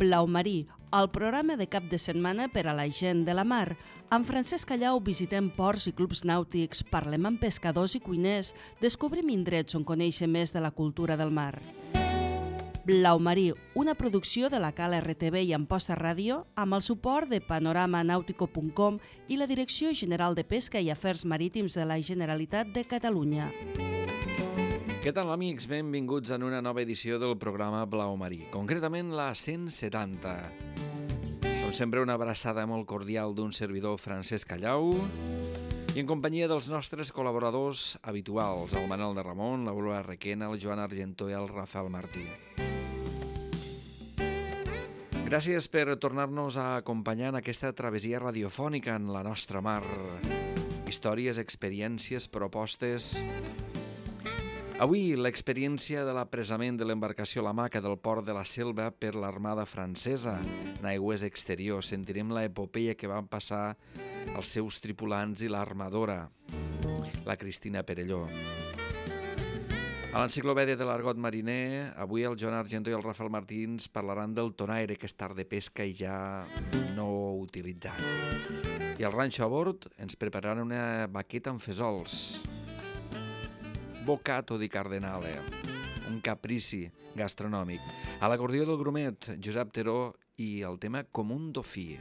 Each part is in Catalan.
Blau Marí, el programa de cap de setmana per a la gent de la mar. Amb Francesc Callau visitem ports i clubs nàutics, parlem amb pescadors i cuiners, descobrim indrets on conèixer més de la cultura del mar. Blau Marí, una producció de la Cala RTV i Amposta Ràdio, amb el suport de panoramanautico.com i la Direcció General de Pesca i Afers Marítims de la Generalitat de Catalunya. Què tal, amics? Benvinguts en una nova edició del programa Blau Marí, concretament la 170. Com sempre, una abraçada molt cordial d'un servidor, Francesc Callau, i en companyia dels nostres col·laboradors habituals, el Manel de Ramon, l'Aurora Requena, el Joan Argentó i el Rafael Martí. Gràcies per tornar-nos a acompanyar en aquesta travessia radiofònica en la nostra mar. Històries, experiències, propostes. Avui, l'experiència de l'apresament de l'embarcació La Maca del port de la Selva per l'Armada francesa en aigües exteriors. Sentirem l'epopeia que van passar els seus tripulants i l'armadora, la Cristina Perelló. A l'enciclopèdia de l'argot mariner, avui el Joan Argentó i el Rafael Martí ens parlaran del tonaire, que és tard de pesca i ja no utilitzat. I al ranxo a bord ens prepararan una baqueta amb fesols. Bocato di Cardenale, un caprici gastronòmic. A l'acordió del grumet, Josep Teró, i el tema Com un dofí.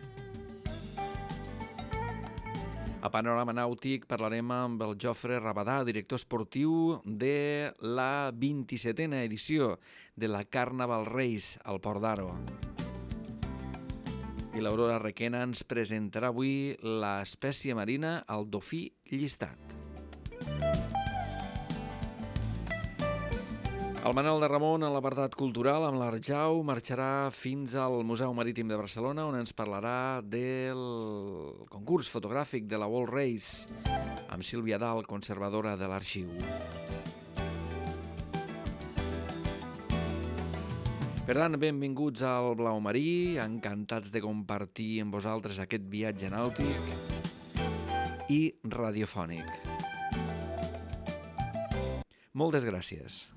A Panorama Nàutic parlarem amb el Jofre Rabadà, director esportiu de la 27a edició de la Carnaval Race al Port d'Aro. I l'Aurora Requena ens presentarà avui l'espècie marina, el dofí llistat. El Manel de Ramon, a l'apartat cultural, amb l'Arjau, marxarà fins al Museu Marítim de Barcelona, on ens parlarà del concurs fotogràfic de la World Race, amb Sílvia Dalt, conservadora de l'arxiu. Per tant, benvinguts al Blau Marí, encantats de compartir amb vosaltres aquest viatge nàutic i radiofònic. Moltes gràcies.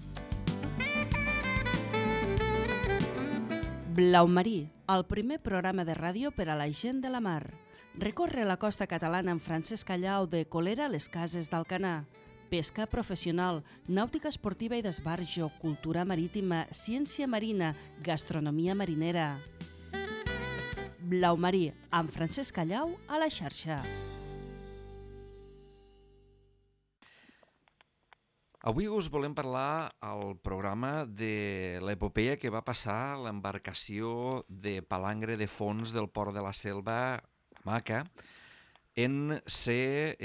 Blau Marí, el primer programa de ràdio per a la gent de la mar. Recorre la costa catalana amb Francesc Callau de Colera a les Cases d'Alcanar. Pesca professional, nàutica esportiva i d'esbarjo, cultura marítima, ciència marina, gastronomia marinera. Blau Marí, amb Francesc Callau a la xarxa. Avui us volem parlar al programa de l'epopeia que va passar l'embarcació de palangre de fons del port de la Selva, Maca, en ser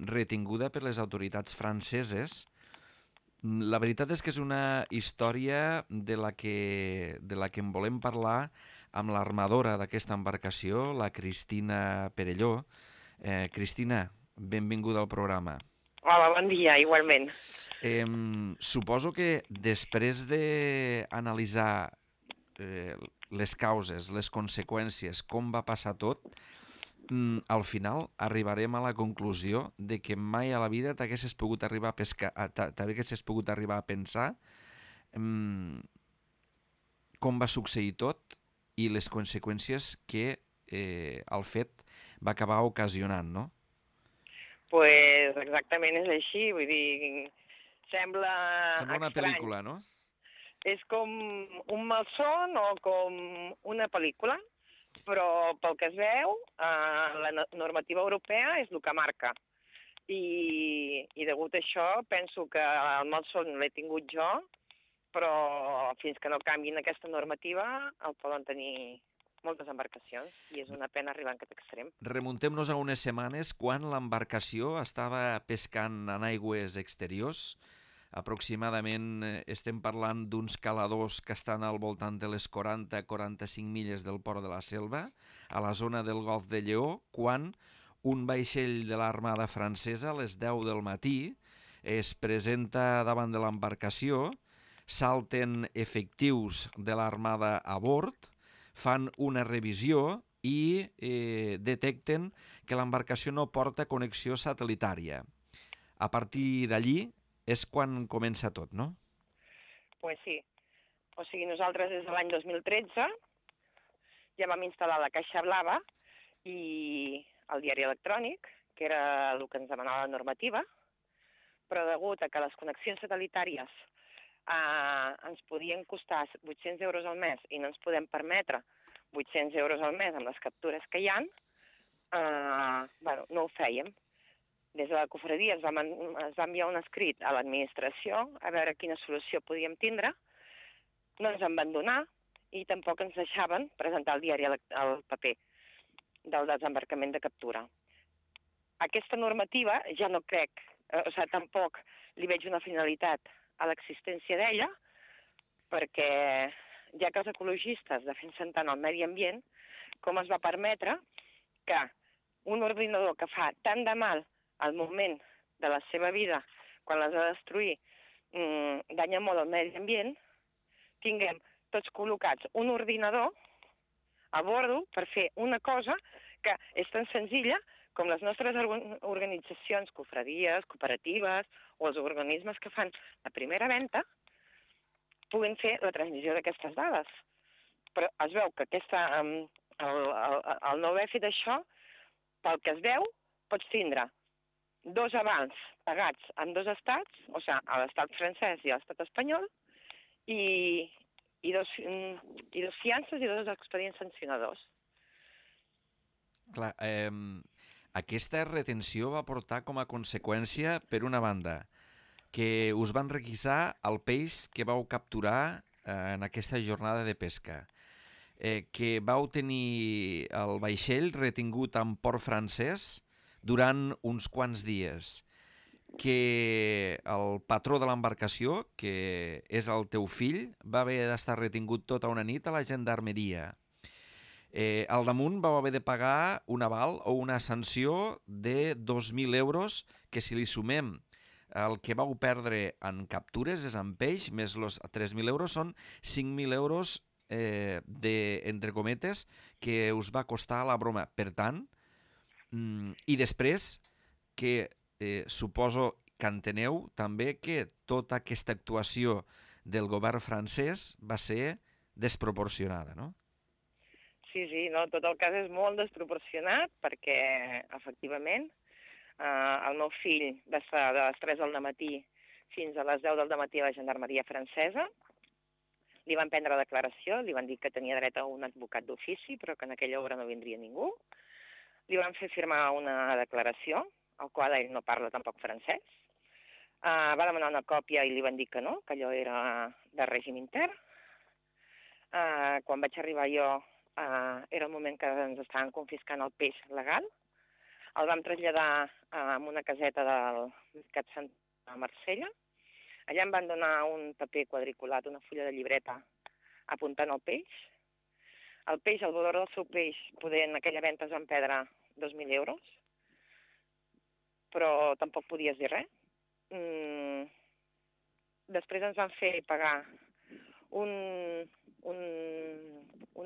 retinguda per les autoritats franceses. La veritat és que és una història de la que en volem parlar amb l'armadora d'aquesta embarcació, la Cristina Perelló. Cristina, benvinguda al programa. Hola, bon dia, igualment. Suposo que després d'analitzar les causes, les conseqüències, com va passar tot, al final arribarem a la conclusió de que mai a la vida t'haguessis pogut arribar a pescar, t'haguessis pogut arribar a pensar com va succeir tot i les conseqüències que el fet va acabar ocasionant, no? Pues exactament és així, vull dir, sembla una estrany. pel·lícula, no? És com un malson o com una pel·lícula, però pel que es veu, la normativa europea és el que marca. I degut a això penso que el malson l'he tingut jo, però fins que no canviïn aquesta normativa el poden tenir moltes embarcacions i és una pena arribar en aquest extrem. Remuntem-nos a unes setmanes quan l'embarcació estava pescant en aigües exteriors. Aproximadament estem parlant d'uns caladors que estan al voltant de les 40-45 milles del port de la Selva, a la zona del Golf de Lleó, quan un vaixell de l'Armada francesa a les 10 del matí es presenta davant de l'embarcació, salten efectius de l'Armada a bord, fan una revisió i detecten que l'embarcació no porta connexió satellitària. A partir d'allí és quan comença tot, no? Pues sí. O sigui, nosaltres des de l'any 2013 ja vam instal·lar la caixa blava i el diari electrònic, que era el que ens demanava la normativa, però degut a que les connexions satellitàries ens podien costar 800 euros al mes i no ens podem permetre 800 euros al mes amb les captures que hi ha, no ho fèiem. Des de la cofradia es va enviar un escrit a l'administració a veure quina solució podíem tindre. No ens van donar i tampoc ens deixaven presentar el diari al paper del desembarcament de captura. Aquesta normativa ja no crec, tampoc li veig una finalitat a l'existència d'ella, perquè ja que els ecologistes defensen tant el medi ambient, com es va permetre que un ordinador que fa tant de mal al moment de la seva vida, quan l'has de destruir, danya molt el medi ambient, tinguem tots col·locats un ordinador a bordo per fer una cosa que és tan senzilla com les nostres organitzacions, cofradies, cooperatives o els organismes que fan la primera venda puguin fer la transmissió d'aquestes dades. Però es veu que el no haver fet això, pel que es veu, pots tindre 2 avals pagats en 2 estats, a l'estat francès i a l'estat espanyol, i 2 fiances i 2 expedients sancionadors. Clar, aquesta retenció va portar com a conseqüència, per una banda, que us van requisar el peix que vau capturar en aquesta jornada de pesca, que vau tenir el vaixell retingut en port francès durant uns quants dies, que el patró de l'embarcació, que és el teu fill, va haver d'estar retingut tota una nit a la gendarmeria. Al damunt vau haver de pagar un aval o una sanció de 2.000 euros, que si li sumem el que vau perdre en captures, és en peix, més els 3.000 euros, són 5.000 euros entre cometes, que us va costar la broma. Per tant, i després que suposo que enteneu també que tota aquesta actuació del govern francès va ser desproporcionada, no? Sí, no, tot el cas és molt desproporcionat perquè, efectivament, el meu fill va estar de les 3 del matí fins a les 10 del matí a la gendarmeria francesa. Li van prendre declaració, li van dir que tenia dret a un advocat d'ofici, però que en aquella hora no vindria ningú. Li van fer firmar una declaració, al qual ell no parla tampoc francès. Va demanar una còpia i li van dir que no, que allò era de règim intern. Quan vaig arribar jo, era el moment que ens estaven confiscant el peix legal. El vam traslladar a una caseta del Mercat Sant a Marsella. Allà em van donar un paper quadriculat, una fulla de llibreta, apuntant el peix. El peix, el valor del seu peix, en aquella venda es van perdre 2.000 euros, però tampoc podies dir res. Després ens van fer pagar un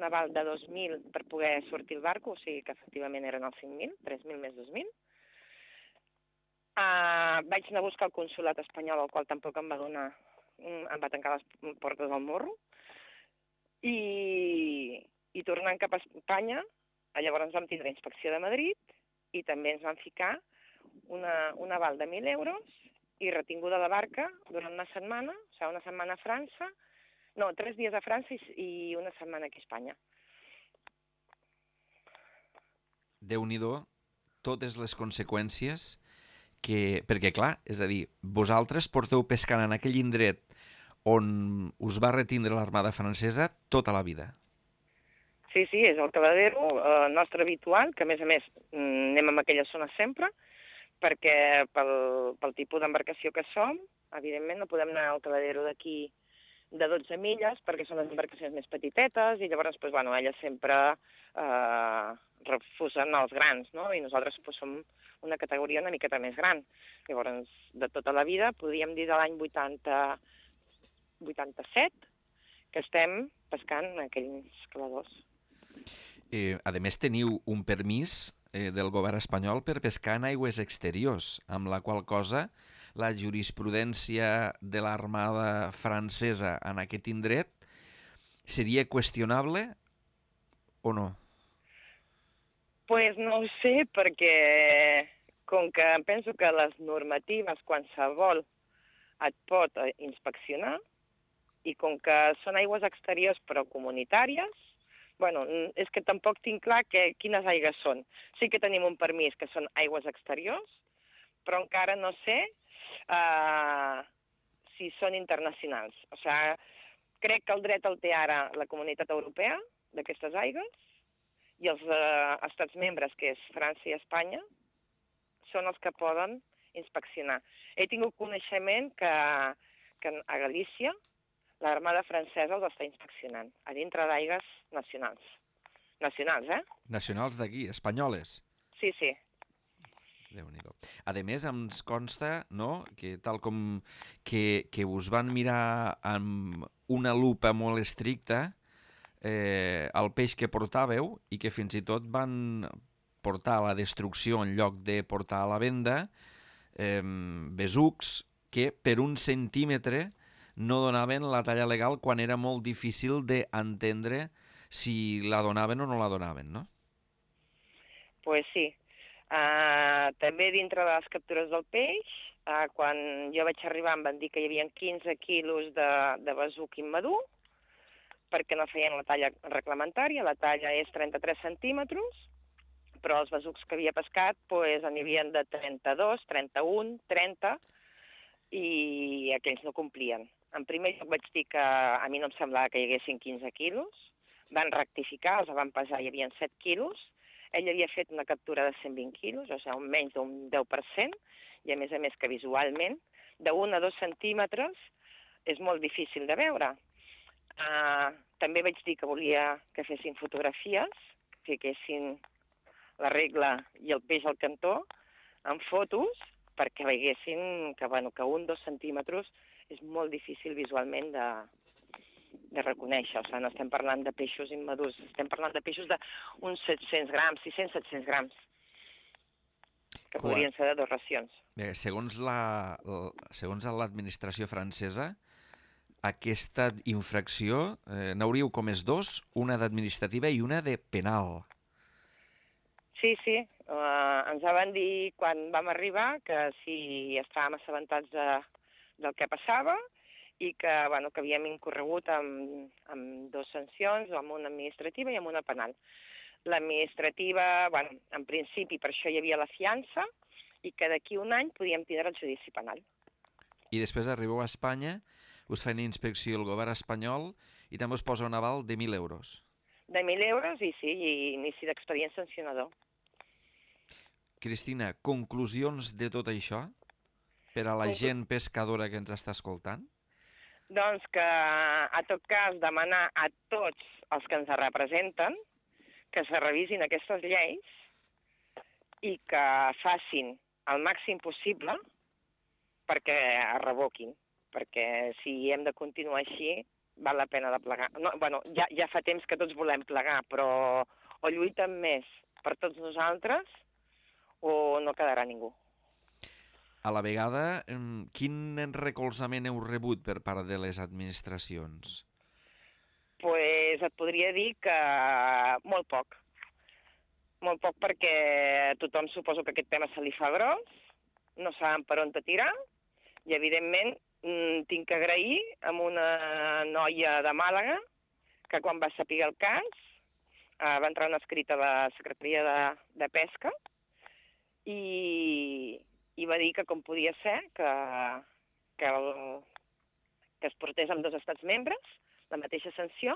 aval de 2.000 per poder sortir el barco, o sigui que efectivament eren els 5.000, 3.000 més 2.000. Vaig anar a buscar el consolat espanyol, el qual tampoc em va tancar les portes al morro, i tornant cap a Espanya, llavors vam tindre inspecció de Madrid i també ens van ficar un aval de 1.000 euros i retinguda la barca durant una setmana, una setmana a França, 3 dies a França i una setmana aquí a Espanya. Déu-n'hi-do, totes les conseqüències perquè, clar, és a dir, vosaltres porteu pescant en aquell indret on us va retindre l'Armada francesa tota la vida. Sí, és el caladero nostre habitual, que a més anem a aquella zona sempre, perquè pel tipus d'embarcació que som, evidentment no podem anar al caladero d'aquí de 12 milles, perquè són les embarcacions més petitetes, i llavors elles sempre refusen els grans, no? I nosaltres som una categoria una miqueta més gran. Llavors, de tota la vida, podríem dir de l'any 87, que estem pescant en aquells caladors. A més, teniu un permís del govern espanyol per pescar en aigües exteriors, amb la qual cosa la jurisprudència de l'Armada francesa en aquest indret seria qüestionable o no? Pues no ho sé, perquè com que em penso que les normatives qualsevol et pot inspeccionar i com que són aigües exteriors però comunitàries, bueno, és que tampoc tinc clar quines aigües són. Sí que tenim un permís que són aigües exteriors, però encara no sé si són internacionals. O sigui, crec que el dret el té ara la Comunitat Europea d'aquestes aigües i els estats membres, que és França i Espanya, són els que poden inspeccionar. He tingut coneixement que a Galícia l'Armada francesa els està inspeccionant, a dintre d'aigües nacionals. Nacionals, eh? Nacionals d'aquí, espanyoles. Sí, sí. Déu-n'hi-do. A més, ens consta, no?, que tal com que us van mirar amb una lupa molt estricta el peix que portàveu i que fins i tot van portar a la destrucció en lloc de portar a la venda besucs que per 1 centímetre no donaven la talla legal quan era molt difícil d'entendre si la donaven o no la donaven, no? Pues sí. També dintre de les captures del peix, quan jo vaig arribar em van dir que hi havia 15 quilos de besuc immadur, perquè no feien la talla reglamentària, la talla és 33 centímetres, però els besucs que havia pescat n'hi havia de 32, 31, 30, i aquells no complien. En primer lloc vaig dir que a mi no em semblava que hi haguessin 15 quilos, van rectificar, els van pesar, hi havia 7 quilos, ell havia fet una captura de 120 quilos, o sigui, menys d'un 10%, i a més que visualment, de 1 a 2 centímetres és molt difícil de veure. També vaig dir que volia que fessin fotografies, que fiquessin la regla i el peix al cantó en fotos, perquè veiessin que 1 o 2 centímetres és molt difícil visualment de reconèixer. O sigui, no estem parlant de peixos immadurs, estem parlant de peixos d'uns 700 grams, 600-700 grams, que podrien ser de 2 racions. Bé, segons l'administració francesa, aquesta infracció n'hauríeu comès 2, una d'administrativa i una de penal. Sí, sí. Ens van dir quan vam arribar que si estàvem assabentats del que passava i que havíem incorregut amb 2 sancions, amb una administrativa i amb una penal. L'administrativa, en principi per això hi havia la fiança i que d'aquí 1 any podíem tindre el judici penal. I després arribeu a Espanya, us fa una inspecció el govern espanyol i també us posa un aval de 1.000 euros. De 1.000 euros i sí, i inici d'expedient sancionador. Cristina, conclusions de tot això per a la gent pescadora que ens està escoltant? Doncs que, a tot cas, demanar a tots els que ens representen que se revisin aquestes lleis i que facin el màxim possible perquè es revoquin. Perquè si hem de continuar així, val la pena de plegar. No, ja fa temps que tots volem plegar, però o lluiten més per tots nosaltres o no quedarà ningú. A la vegada, quin recolzament heu rebut per part de les administracions? Pues et podria dir que molt poc. Molt poc perquè tothom suposo que aquest tema se li fa gros, no saben per on te tirar, i evidentment tinc que agrair a una noia de Màlaga que quan va saber el cas va entrar un escrit a la Secretaria de Pesca i va dir que com podia ser que es portés amb 2 estats membres la mateixa sanció.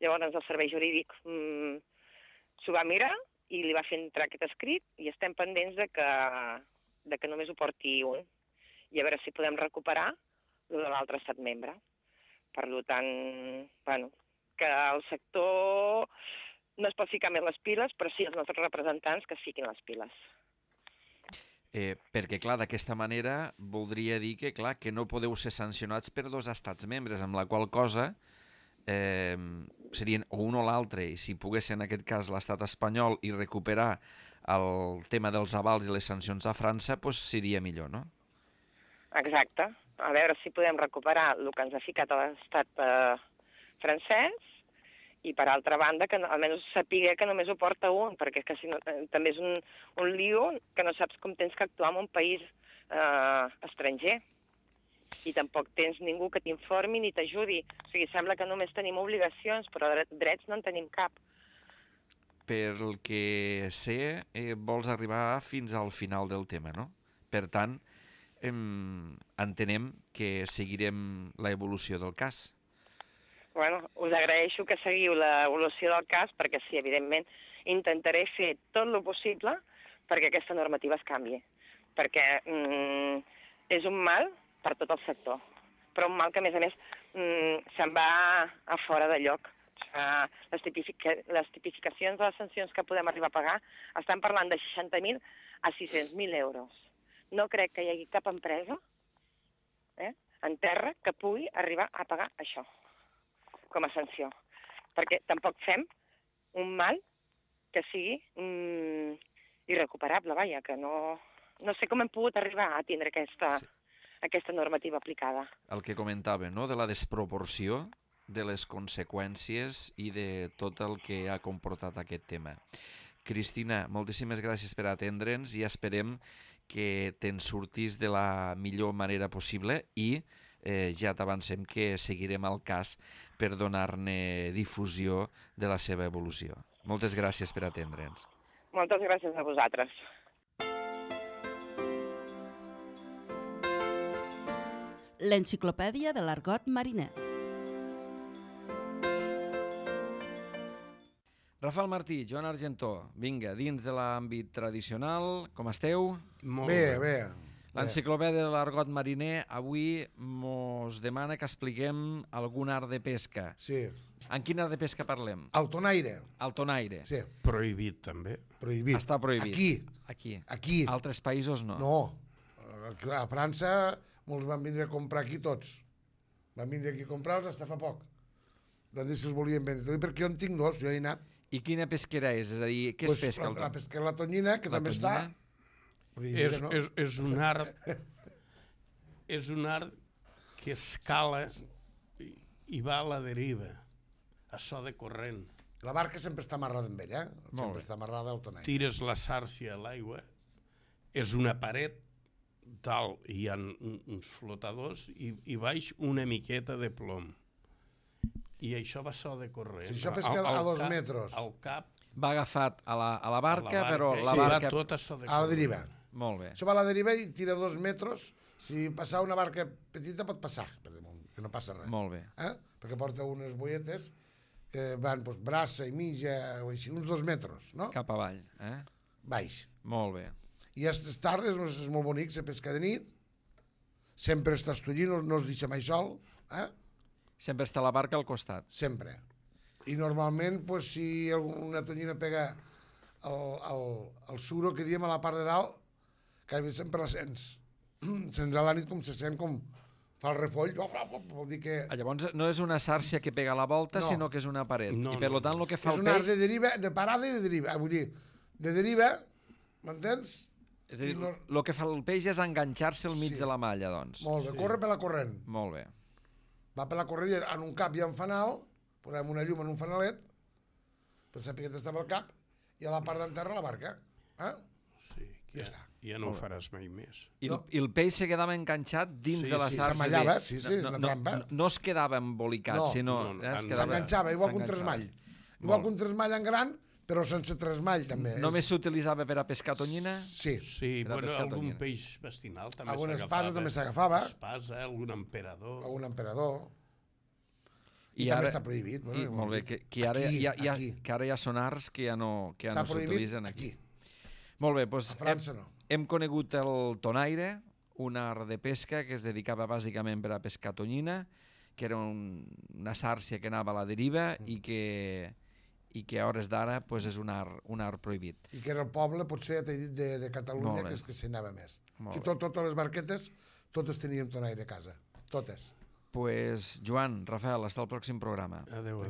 Llavors el servei jurídic s'ho va mirar i li va fer entrar aquest escrit i estem pendents de que només ho porti un i a veure si podem recuperar el de l'altre estat membre. Per tant, que el sector no es pot ficar més les piles, però sí els nostres representants que es fiquin les piles. Perquè, clar, d'aquesta manera voldria dir que, clar, que no podeu ser sancionats per 2 estats membres, amb la qual cosa serien o un o l'altre, i si pogués ser en aquest cas l'estat espanyol i recuperar el tema dels avals i les sancions a França, doncs seria millor, no? Exacte. A veure si podem recuperar el que ens ha ficat a l'estat francès I per altra banda, que almenys sapiguer que només ho porta un, perquè és que si no, també és un lío que no saps com tens que actuar en un país estranger. I tampoc tens ningú que t'informi ni t'ajudi. O sigui, sembla que només tenim obligacions, però drets no en tenim cap. Pel que sé, vols arribar fins al final del tema, no? Per tant, entenem que seguirem l'evolució del cas. Bueno, us agraeixo que seguiu l'evolució del cas, perquè sí, evidentment, intentaré fer tot el possible perquè aquesta normativa es canvi. Perquè és un mal per tot el sector, però un mal que, a més, se'n va a fora de lloc. Les tipificacions de les sancions que podem arribar a pagar estan parlant de 60.000 a 600.000 euros. No crec que hi hagi cap empresa en terra que pugui arribar a pagar això com a sanció, perquè tampoc fem un mal que sigui irrecuperable, vaja, que no sé com hem pogut arribar a tindre aquesta normativa aplicada. El que comentava, no?, de la desproporció de les conseqüències i de tot el que ha comportat aquest tema. Cristina, moltíssimes gràcies per atendre'ns i esperem que te'n surtis de la millor manera possible i ja t'avancem que seguirem el cas per donar-ne difusió de la seva evolució. Moltes gràcies per atendre'ns. Moltes gràcies a vosaltres. L'enciclopèdia de l'argot mariner. Rafael Martí, Joan Argentó, vinga, dins de l'àmbit tradicional, com esteu? Molt bé. L'enciclopèdia de l'argot mariner avui mos demana que expliquem algun art de pesca. Sí. En quin art de pesca parlem? El tonaire. El tonaire. Sí. Prohibit, també. Prohibit. Està prohibit. Aquí. Altres països no. No. A França molts van vindre a comprar aquí tots. Van vindre aquí a comprar-los fins fa poc. Van dir si els volien vendre. Perquè jo en tinc dos, jo he anat. I quina pesquera és? És a dir, què es pesca? La pesquera la tonyina, que també està... És un art que escala i va a la deriva, a so de corrent. La barca sempre està amarrada amb ell, sempre està amarrada al tonaire. Tires la sàrcia a l'aigua, és una paret dalt, hi ha uns flotadors i baix una miqueta de plom. I això va so de corrent. Si això pesca a 2 metres. Al cap. Va agafat a la barca, però la va barca... tot a so de corrent. A la deriva. Molt bé. Això va a la deriva i tira 2 metres. Si passar una barca petita pot passar, per damunt, que no passa res. Molt bé. Perquè porta unes boietes que van braça i mitja, o així, uns 2 metres, no? Cap avall, Baix. Molt bé. I aquestes tardes és molt bonic, se pesca de nit, sempre està estullint, no es deixa mai sol, Sempre està la barca al costat. Sempre. I normalment, si una tonyina pega el suro que diem a la part de dalt, que sempre la sents. Sents a la nit com se sent, com fa el refoll, vol dir que... Llavors no és una sàrcia que pega a la volta, sinó que és una paret. I per tant el que fa el peix... És un art de deriva, de parada i de deriva. Vull dir, de deriva, m'entens? És a dir, el que fa el peix és enganxar-se al mig de la malla, doncs. Molt bé, corre per la corrent. Molt bé. Va per la corrent, en un cap hi ha un fanal, posem una llum en un fanalet, per saber que estava al cap, i a la part d'enterra la barca. Sí, ja està. Ja no ho faràs mai més. I el peix se quedava enganxat dins de la sàrcia. S'amallava, sí, és una trampa. No es quedava embolicat, sinó... S'enganxava, igual que un tresmall. Igual que un tresmall en gran, però sense tresmall, també. Només s'utilitzava per a pescar tonyina? Sí. Sí, algun peix vestinal també s'agafava. Alguna espasa també s'agafava. Espasa, algun emperador. Algun emperador. I també està prohibit. Molt bé, que ara hi ha sonars que ja no s'utilitzen aquí. Molt bé, doncs... A França no. Hem conegut el tonaire, un art de pesca que es dedicava bàsicament per a pescar tonyina, que era una sàrcia que anava a la deriva i que a hores d'ara és un art prohibit. I que era el poble, potser, t'he dit, de Catalunya, que és que s'hi anava més. Totes les barquetes, totes tenien tonaire a casa. Totes. Pues, Joan, Rafael, hasta el pròxim programa. Adéu.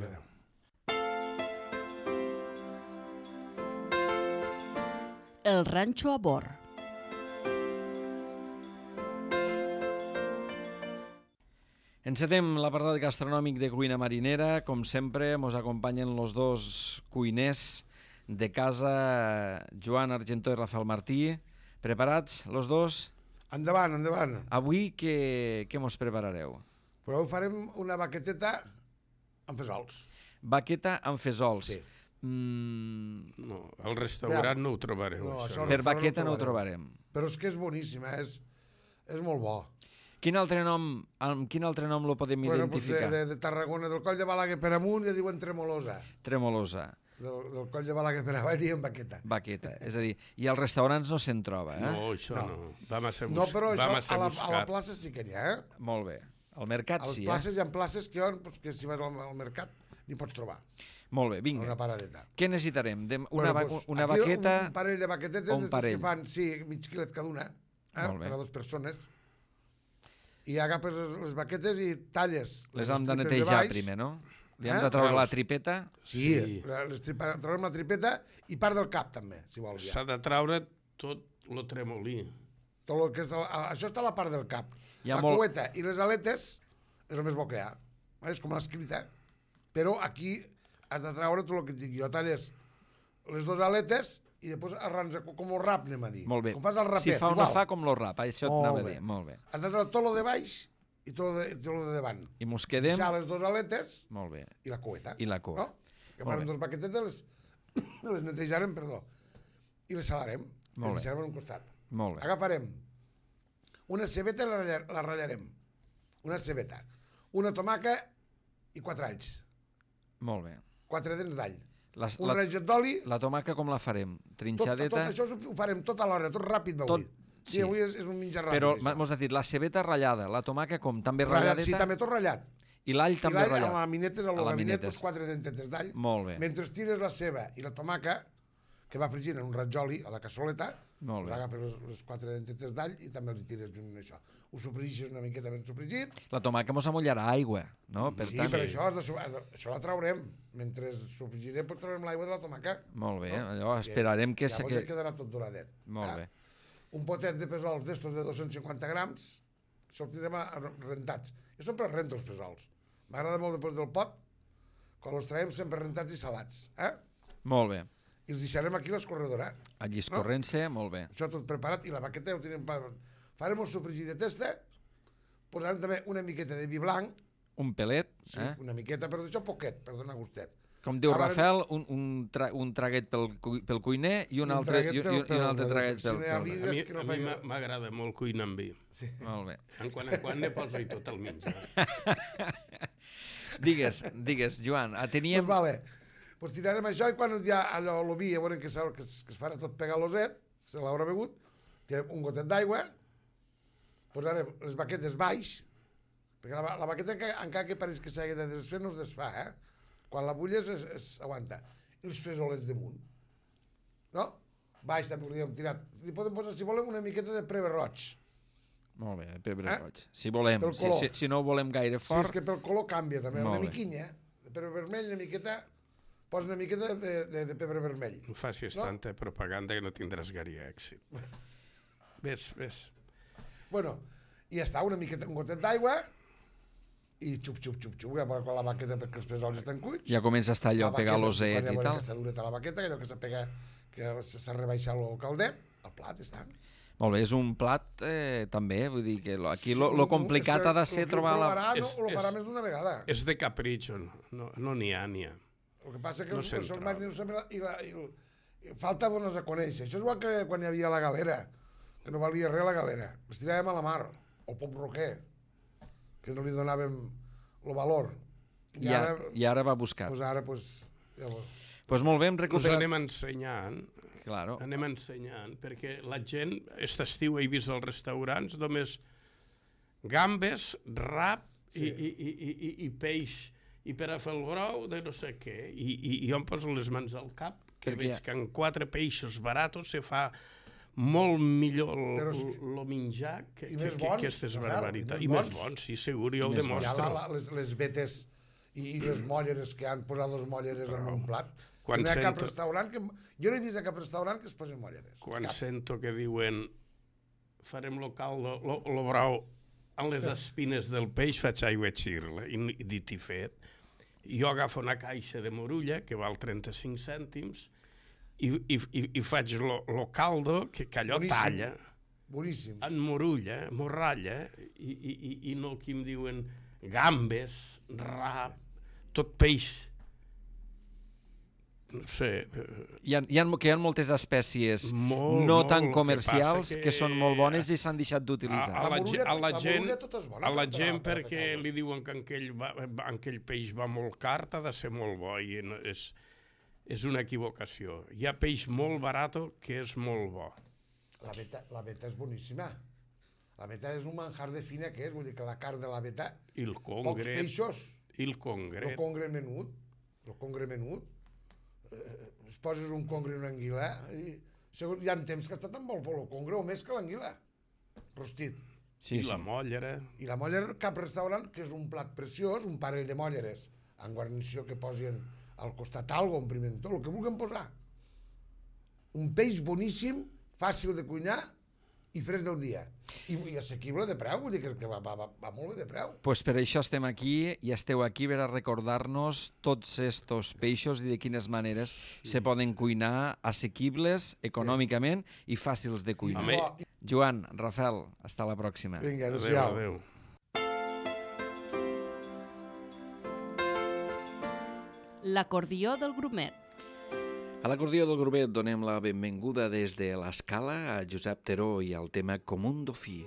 El ranxo a bord. Encetem l'apartat gastronòmic de cuina marinera. Com sempre, ens acompanyen els dos cuiners de casa, Joan Argentó i Rafael Martí. Preparats, els dos? Endavant, endavant. Avui què mos preparareu? Però avui farem una baqueteta amb fesols. Baqueta amb fesols. Sí. Mm, No, al restaurant no ho trobareu, No, això. això per restaurant baqueta no ho trobarem. trobarem. Però és que és boníssima, és molt bo. Amb quin altre nom lo podem identificar? De Tarragona, del Coll de Balaguer per amunt, ja diuen tremolosa. Tremolosa. Del Coll de Balaguer per avall diem baqueta. Baqueta. És a dir, i als restaurants no se'n troba, eh? No, això no. Va massa No, però això massa a la buscat. plaça sí que n'hi ha, Molt bé. Al mercat A les sí, places hi ha places que si vas al mercat n'hi pots trobar. Molt bé, vinga. Una paradeta. Què necessitarem? Una Una baqueta... Un parell de baquetetes, un parell. que fan, sí, mig quilet cada una, Molt bé. per a 2 persones. I agafes les baquetes i talles Les hem de tripes netejar baix. primer, no? Li hem Eh? de treure la Veus? tripeta. Sí, traurem la tripeta i part del cap també, si vol. S'ha de traure tot lo tremolí. Tot el que és això està a la part del cap. Hi ha La molt- cueta i les aletes és el més bo que hi ha. És com l'escrita. Però aquí has de treure tot el que et dic jo. Talles les 2 aletes i després arrans com el rap, anem a dir. Molt bé. Com fas el rapet, Si fa o no igual. fa, com lo rap. Això et Molt anava a bé. dir. Molt bé. Has de treure tot el de baix i tot el de davant. I mos quedem... Deixar les 2 aletes Molt bé. i la cueta. I la cua. No? Que Molt farem bé. 2 baquetetes, les netejarem, perdó, i les salarem. Molt Les bé. deixarem en un costat. Molt bé. Agafarem una cebeta i la ratllarem. Una cebeta. Una tomaca i 4 alls. Molt bé. 4 dents d'all. Un La, raget d'oli. la tomaca com la farem? Tot Trinxadeta? això ho farem tot alhora, tot ràpid avui. sí. Sí, avui és un menjar ràpid. Però això. mos has dit la cebeta ratllada, la tomaca com? També Ratllat, ratlladeta? sí, també tot ratllat. I l'all I també l'all ratllat? amb la minetes, a A la gabinet, minetes. 4 dentetes d'all. Molt bé. Mentre tires la ceba i la tomaca, que va fregint en un ratjoli a la cassoleta, Molt bé. agafes les 4 dentetes d'all i també els tires junt amb això. Ho sofregixes una miqueta ben sofregit. La tomaca mos amollarà aigua, no? Per Sí, tant, per això, això la traurem. Mentre sofregirem, doncs traurem l'aigua de la tomaca. Molt bé, No? allò esperarem que... Llavors ja quedarà tot doradet. Molt bé. Un potet de pesols d'estos de 250 grams, això el tindrem rentats. Jo sempre els rento, els pesols. M'agrada molt després del pot, quan els traiem sempre rentats i salats. Molt bé. I els deixarem aquí a l'escorredora. Allí escorrent-se, molt bé. Això tot preparat i la baqueta ja ho tenim preparat. Farem un sofregit de testa, posarem també una miqueta de vi blanc, Un pelet, sí, eh? una miqueta, però d'això poquet, per donar gustet. Com diu Acabarem- Rafael, un traguet pel cuiner i un altre traguet si no hi ha vi, pel... A mi, que no a mi faci- m'agrada molt cuinar amb vi. Sí. Molt bé. En quan ne poso-hi tot el menjar. Digues, Joan, teníem... Pues vale. Pues tirarem això i quan ja allò, el vi, ja veurem que es farà tot pegaloset, se l'haurà begut, tirem un gotet d'aigua, posarem les baquetes baix, perquè la baqueta encara que pareix que s'hagi de desfer no es desfà, Quan la bulles es aguanta. I els fesolets damunt. No? Baix també hauríem tirat. Li podem posar, si volem, una miqueta de pebre roig. Molt bé, de pebre roig. Si volem, Pel color. si no ho volem gaire Sí, fort... és que pel color canvia també, Molt una bé. miquinya. De pebre vermell, una miqueta... Posa una miqueta de pebre vermell. No facis tanta propaganda que no tindràs gaire èxit. Ves. Bueno, i ja està, un gotet d'aigua i xup, quan la baqueta perquè els pesols estan cuits. Ja comença a estar allò, La pegar baqueta, l'oset quan ja i veurem tal. que està dureta la baqueta, allò que s'apega, que s'ha rebaixat el caldet, el plat està. Molt bé, és un plat també, vull dir que aquí lo complicat ha de ser trobar la... Ho farà més d'una vegada. És de capritxo, no n'hi ha. El que passa que no els se'n mariners i falta dones a conèixer. Això és igual que quan hi havia la galera, que no valia res la galera. Els tiràvem a la mar, o pop roquer, que no li donàvem el valor. I ara va buscar. Doncs ara, ja Doncs molt bé, hem Us recuperat... anem ensenyant, Claro. perquè la gent, aquest estiu he vist als restaurants només gambes, rap i peix, i per a fer el brou de no sé què, i jo em poso les mans al cap, que veig que amb 4 peixos baratos se fa molt millor el menjar que aquestes barbaritats. I més bons, sí, segur, jo el demostro. Ja les vetes i les molleres que han posat les molleres en un plat. Quan no hi ha cap restaurant que... Jo no he vist a cap restaurant que es posin molleres. Quan sento que diuen farem lo caldo, lo brou en les espines del peix faig aigua xirla, i dit i fet. Jo agafo una caixa de morulla, que val 35 cèntims, i faig lo caldo, que allò talla. Boníssim. En morulla, morralla, i no el que em diuen gambes, rap, tot peix. No sé... Hi ha moltes espècies no tan comercials que són molt bones i s'han deixat d'utilitzar. A la gent perquè li diuen que aquell peix va molt car, ha de ser molt bo, i és una equivocació. Hi ha peix molt barat que és molt bo. La veta és boníssima. La veta és un manjar de fina que és, vull dir que la carn de la veta... I el congre. Pocs peixos. I el congre. El congre menut. Es poses un congre i una anguila i hi ha temps que està tan bo el congre o més que l'anguila. Rostit. I la mollera. I la mollera, cap restaurant, que és un plat preciós, un parell de molleres, en guarnició que posin al costat algo, un pimentó, el que vulguin posar. Un peix boníssim, fàcil de cuinar i fresc del dia. I assequible de preu, vull dir que va molt bé de preu. Doncs per això estem aquí i esteu aquí per a recordar-nos tots estos peixos i de quines maneres se poden cuinar assequibles econòmicament i fàcils de cuinar. Joan, Rafael, hasta la pròxima. Vinga, adéu-siau. Adéu. L'acordió del grumet. A l'acordió del grumet donem la benvinguda des de l'Escala a Josep Teró i al tema Com un dofí.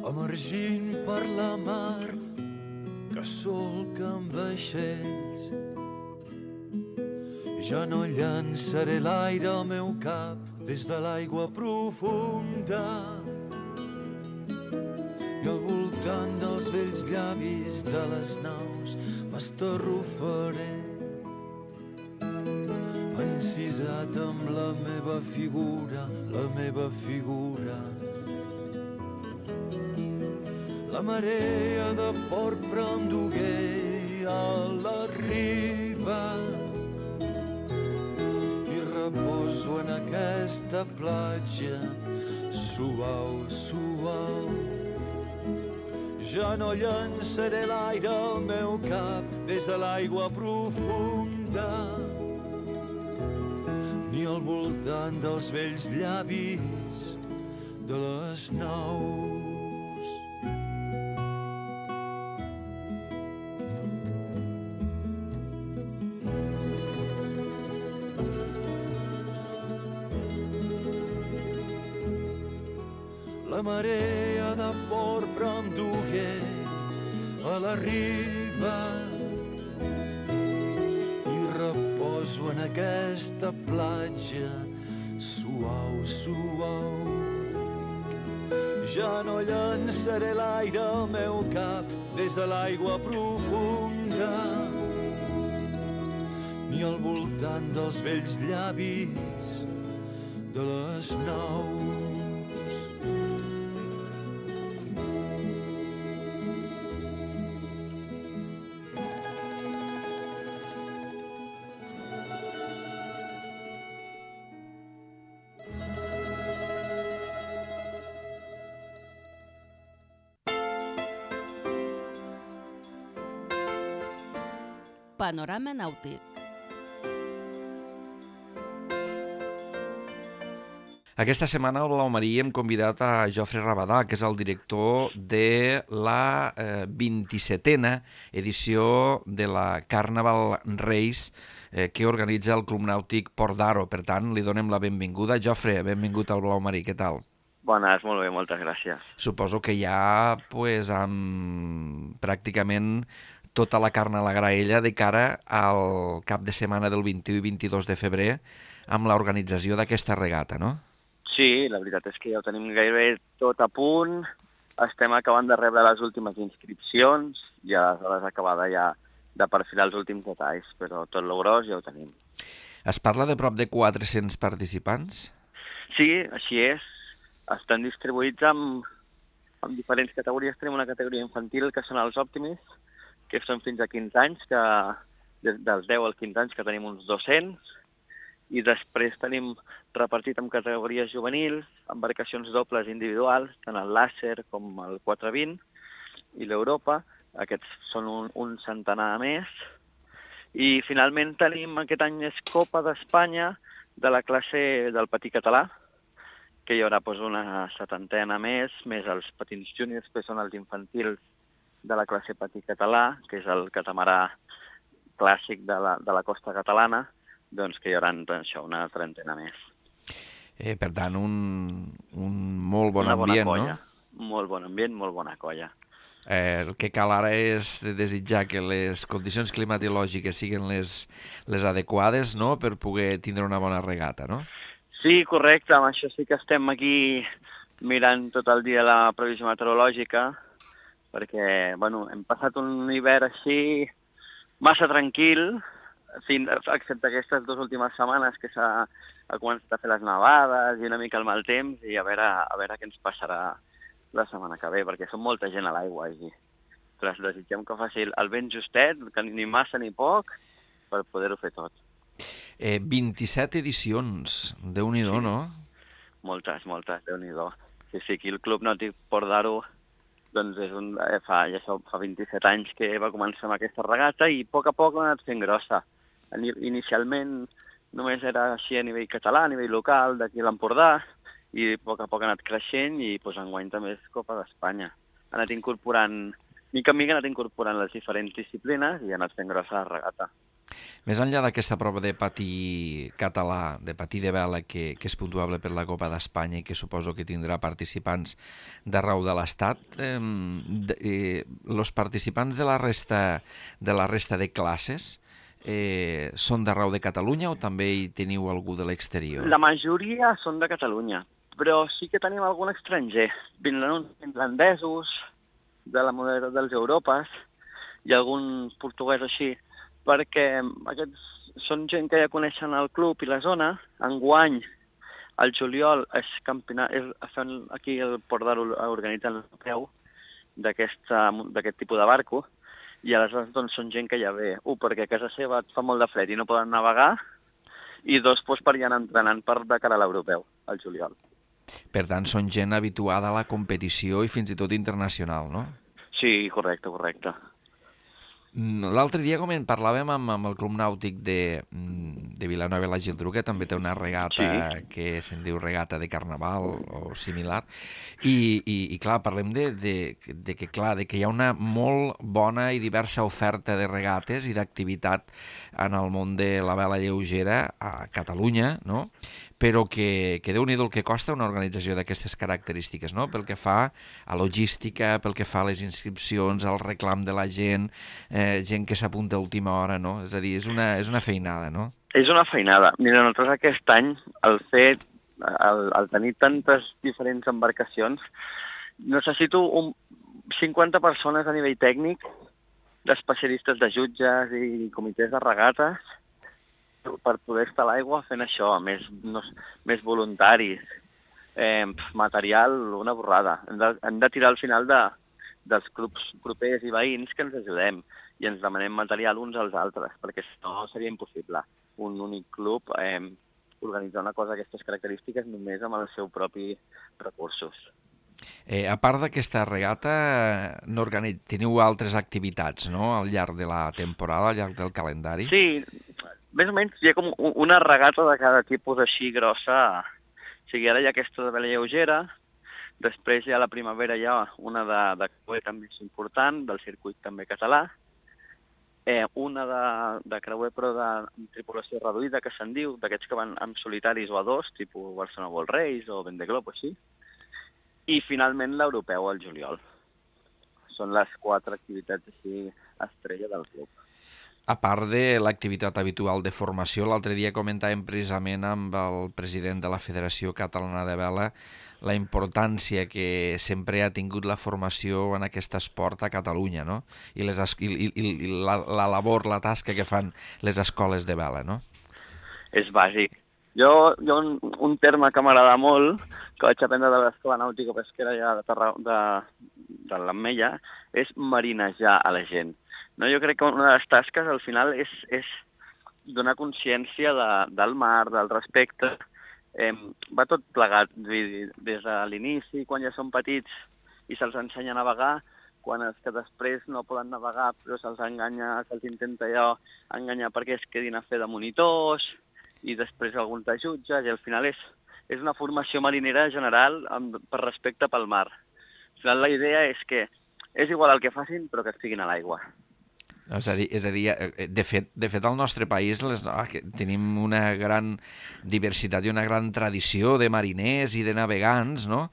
Emergint per la mar que solca amb vaixells, ja no llançaré l'aire al meu cap des de l'aigua profunda, i al voltant dels vells llavis de les naus m'estarrufaré, encisat amb la meva figura, la marea de porpra em dugué a la riba, reposo en aquesta platja suau. Ja no llançaré l'aire al meu cap des de l'aigua profunda, ni al voltant dels vells llavis de les naus. La marea de porpra em dugué a la riba i reposo en aquesta platja suau. Ja no llançaré l'aire al meu cap des de l'aigua profunda, ni al voltant dels vells llavis de les naus. Panorama nàutic. Aquesta setmana al Blau Marí hem convidat a Jofre Rabadà, que és el director de la 27a edició de la Carnaval Reis que organitza el Club Nàutic Port d'Aro. Per tant, li donem la benvinguda. Jofre, benvingut al Blau Marí, què tal? Bones, molt bé, moltes gràcies. Suposo que ja pràcticament tota la carn a la graella de cara al cap de setmana del 21 i 22 de febrer amb l'organització d'aquesta regata, no? Sí, la veritat és que ja ho tenim gairebé tot a punt. Estem acabant de rebre les últimes inscripcions i aleshores acabada ja de perfilar els últims detalls, però tot lo gros ja ho tenim. Es parla de prop de 400 participants? Sí, així és. Estan distribuïts en diferents categories. Tenim una categoria infantil que són els Optimists, que són fins a 15 anys, dels 10 als 15 anys que tenim uns 200, i després tenim repartit en categories juvenils, embarcacions dobles individuals, tant el làser com el 420 i l'Europa. Aquests són un centenar més. I finalment tenim aquest any és Copa d'Espanya de la classe del patí català, que hi haurà una 70 més els patins júniors, que són els infantils de la classe patí català, que és el catamarà clàssic de la costa catalana, doncs que hi haurà això, una 30 més. Per tant, un molt bon ambient, no? Molt bon ambient, molt bona colla. El que cal ara és desitjar que les condicions climatològiques siguin les adequades, no?, per poder tindre una bona regata, no? Sí, correcte. Amb això sí que estem aquí mirant tot el dia la previsió meteorològica, perquè hem passat un hivern així massa tranquil, excepte aquestes 2 últimes setmanes que s'ha començat a fer les nevades i una mica el mal temps, i a veure què ens passarà la setmana que ve, perquè són molta gent a l'aigua allí. Però desitgem que faci el vent justet, que ni massa ni poc, per poder-ho fer tot. 27 edicions, Déu-n'hi-do, no? Moltes, Déu-n'hi-do. Sí, aquí el Club Nàutic Port d'Aro doncs fa 27 anys que va començar amb aquesta regata i a poc ha anat fent grossa. Inicialment només era així a nivell català, a nivell local, d'aquí a l'Empordà, i a poc ha anat creixent i enguany també és Copa d'Espanya. Ha anat incorporant, mica en mica ha anat incorporant les diferents disciplines i ha anat fent grossa la regata. Més enllà d'aquesta prova de patí català, de patí de vela, que és puntuable per la Copa d'Espanya i que suposo que tindrà participants d'arreu de l'Estat, els participants de la resta de classes són d'arreu de Catalunya o també hi teniu algú de l'exterior? La majoria són de Catalunya, però sí que tenim algun estranger. Vindran uns finlandesos de la model dels Europes i algun portuguès així, perquè aquests són gent que ja coneixen el club i la zona. Enguany, al juliol, aquí el Port d'Aro organitza l'europeu d'aquest tipus de barco, i aleshores doncs, són gent que ja ve, perquè a casa seva fa molt de fred i no poden navegar, i 2, per ja anar entrenant de cara a l'europeu, al juliol. Per tant, són gent habituada a la competició i fins i tot internacional, no? Sí, correcte. L'altre dia parlàvem amb el Club Nàutic de Vilanova i la Geltrú, que també té una regata que se'n diu regata de carnaval o similar, i clar, parlem de que hi ha una molt bona i diversa oferta de regates i d'activitat en el món de la vela lleugera a Catalunya, no?, però que Déu-n'hi-do el que costa una organització d'aquestes característiques, no?, pel que fa a logística, pel que fa a les inscripcions, al reclam de la gent, gent que s'apunta a última hora, no? És a dir, és una feinada, no? És una feinada. Mira, nosaltres aquest any, al tenir tantes diferents embarcacions, necessito 50 persones a nivell tècnic, d'especialistes de jutges i comitès de regates, per poder estar a l'aigua fent això, més voluntaris, material, una borrada. Hem de tirar al final dels clubs propers i veïns que ens ajudem i ens demanem material uns als altres, perquè si no seria impossible un únic club organitzar una cosa d'aquestes característiques només amb els seus propis recursos. A part d'aquesta regata, teniu altres activitats, no?, al llarg de la temporada, al llarg del calendari? Sí, més o menys hi ha com una regata de cada tipus així grossa. O sigui, ara hi ha aquesta de vela lleugera, després hi ha la primavera, hi ha una de creuer també és important, del circuit també català, una de creuer però de tripulació reduïda, que se'n diu, d'aquests que van amb solitaris o a 2, tipus Barcelona World Race o Vendeglob o així, i finalment l'europeu al juliol. Són les 4 activitats així estrella del club. A part de l'activitat habitual de formació, l'altre dia comentàvem precisament amb el president de la Federació Catalana de Vela la importància que sempre ha tingut la formació en aquest esport a Catalunya, no? I la labor, la tasca que fan les escoles de vela, no? És bàsic. Jo un terme que m'agrada molt, que vaig aprendre de l'Escola Nàutica Pesquera ja de l'Ametlla, és marinejar a la gent. No? Jo crec que una de les tasques al final és donar consciència del mar, del respecte. Va tot plegat, des de l'inici, quan ja són petits i se'ls ensenya a navegar, quan els que després no poden navegar però se'ls enganya, se'ls intenta enganyar perquè es quedin a fer de monitors i després alguns de jutges, i al final és una formació marinera general per respecte pel mar. Al final la idea és que és igual el que facin però que estiguin a l'aigua. És a dir, de fet al nostre país tenim una gran diversitat i una gran tradició de mariners i de navegants, no?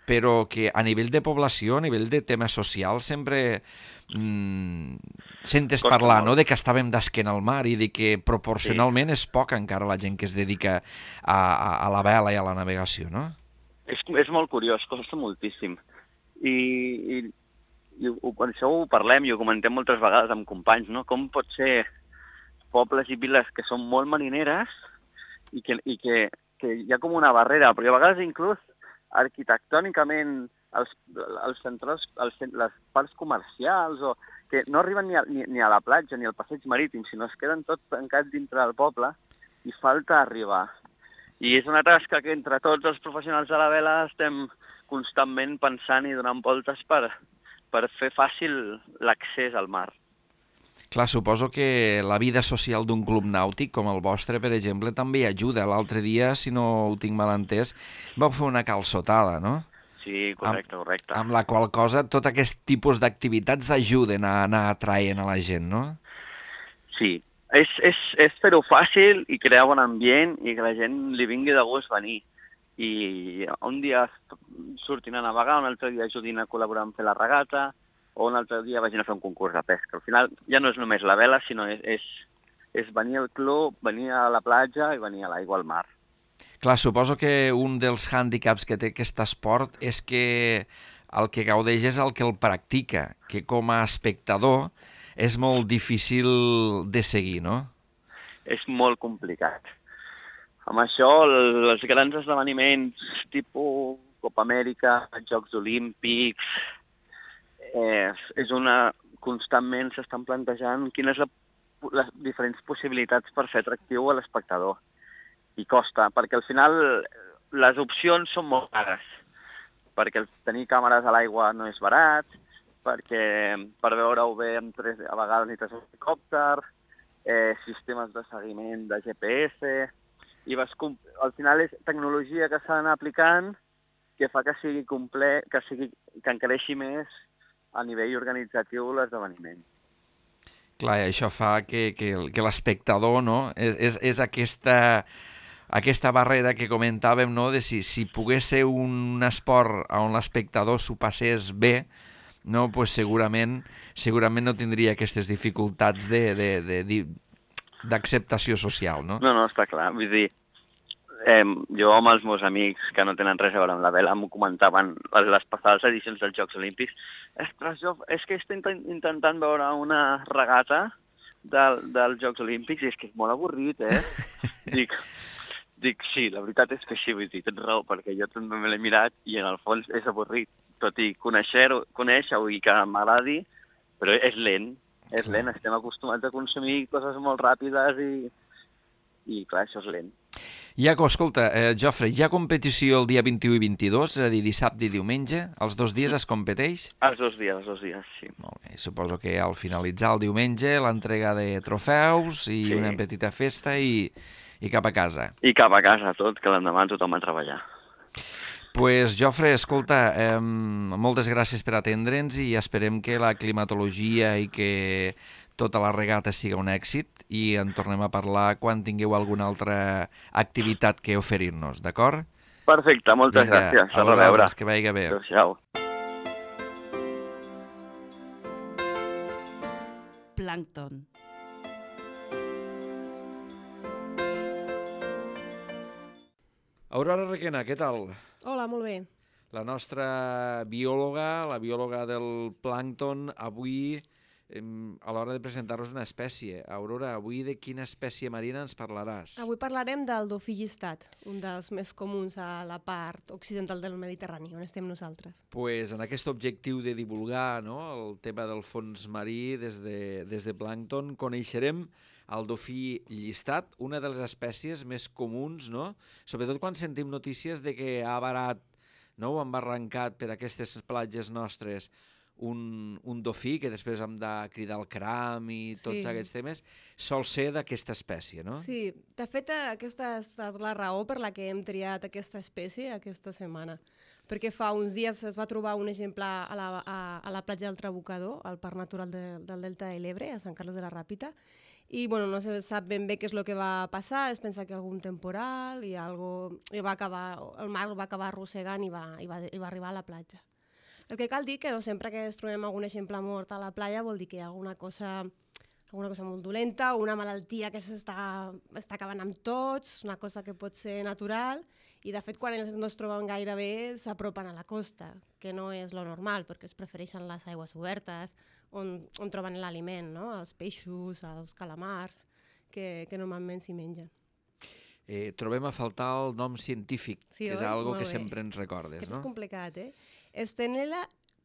Però que a nivell de població, a nivell de tema social, sempre sentes parlar, no?, de que estàvem d'esquena al mar i de que proporcionalment és poca encara la gent que es dedica a la vela i a la navegació, no? És molt curiós, costa moltíssim. I això ho parlem i ho comentem moltes vegades amb companys, no? Com pot ser pobles i viles que són molt marineres i que hi ha com una barrera, perquè a vegades inclús arquitectònicament les parts comercials que no arriben ni a la platja ni al passeig marítim, sinó es queden tots tancats dintre del poble i falta arribar. I és una tasca que entre tots els professionals de la vela estem constantment pensant i donant voltes per fer fàcil l'accés al mar. Clar, suposo que la vida social d'un club nàutic com el vostre, per exemple, també ajuda. L'altre dia, si no ho tinc mal entès, vau fer una calçotada, no? Sí, correcte. Amb la qual cosa tot aquest tipus d'activitats ajuden a anar atraient a la gent, no? Sí, és fer-ho fàcil i crear bon ambient i que la gent li vingui de gust venir. I un dia surtin a navegar, un altre dia ajudin a col·laborar en fer la regata, o un altre dia vagin a fer un concurs de pesca. Al final ja no és només la vela, sinó és venir al club, venir a la platja i venir a l'aigua al mar. Clar, suposo que un dels hàndicaps que té aquest esport és que el que gaudeix és el que el practica, que com a espectador és molt difícil de seguir, no? És molt complicat. Amb això, els grans esdeveniments tipus Copa Amèrica, Jocs Olímpics, constantment s'estan plantejant quines les diferents possibilitats per fer atractiu a l'espectador. I costa, perquè al final les opcions són molt cares, perquè tenir càmeres a l'aigua no és barat, perquè per veure-ho bé a vegades necessites un helicòpter, sistemes de seguiment de GPS, i al final és tecnologia que s'ha d'anar aplicant que fa que sigui complet, que encareixi més a nivell organitzatiu l'esdeveniment. Clar, i això fa que l'espectador, no?, és aquesta barrera que comentàvem, no?, de si pogués ser un esport on l'espectador s'ho passés bé, no, pues segurament no tindria aquestes dificultats d'acceptació social, no? No, està clar. Vull dir, jo amb els meus amics que no tenen res a veure amb la vela m'ho comentaven les passades edicions dels Jocs Olímpics. És que estic intentant veure una regata dels Jocs Olímpics i és que és molt avorrit, Dic, sí, la veritat és que sí, vull dir, tens raó, perquè jo també me l'he mirat i en el fons és avorrit. Tot i conèixer-ho i que m'agradi, però és lent, estem acostumats a consumir coses molt ràpides i clar, això és lent. Escolta, Jofre, hi ha competició el dia 21 i 22, és a dir, dissabte i diumenge? Els 2 dies es competeix? Els dos dies, sí. Molt bé, suposo que al finalitzar el diumenge l'entrega de trofeus i una petita festa i cap a casa. I cap a casa tot, que l'endemà tothom a treballar. Pues, Jofre, escolta, moltes gràcies per atendre'ns i esperem que la climatologia i que tota la regata siga un èxit i en tornem a parlar quan tingueu alguna altra activitat que oferir-nos, d'acord? Perfecte, moltes gràcies. A vosaltres, que vagi bé. Adéu-siau. Plàncton. Aurora Requena, què tal? Hola, molt bé. La nostra biòloga, la biòloga del plàncton, avui a l'hora de presentar-nos una espècie. Aurora, avui de quina espècie marina ens parlaràs? Avui parlarem del dofí llistat, un dels més comuns a la part occidental del Mediterrani, on estem nosaltres. Pues en aquest objectiu de divulgar, no, el tema del fons marí des de Plàncton, coneixerem el dofí llistat, una de les espècies més comuns, no? Sobretot quan sentim notícies de que ha varat, no, o han barrancat per aquestes platges nostres un dofí, que després hem de cridar el cram i tots aquests temes, sol ser d'aquesta espècie, no? Sí, de fet aquesta ha estat la raó per la que hem triat aquesta espècie aquesta setmana, perquè fa uns dies es va trobar un exemplar a la platja del Trabucador, al Parc Natural del Delta de l'Ebre, a Sant Carles de la Ràpita, i bueno, no se sap ben bé què és el que va passar, es pensa que algun temporal i el mar va acabar arrossegant i va arribar a la platja. El que cal dir que no sempre que es trobem algun exemplar mort a la playa vol dir que hi ha alguna cosa molt dolenta o una malaltia que està acabant amb tots, una cosa que pot ser natural, i de fet quan ells no es troben gaire bé s'apropen a la costa, que no és lo normal perquè es prefereixen les aigües obertes on troben l'aliment, no? Els peixos, els calamars, que normalment s'hi mengen. Trobem a faltar el nom científic, que és algo que sempre ens recordes, no? Aquest és complicat, Stenella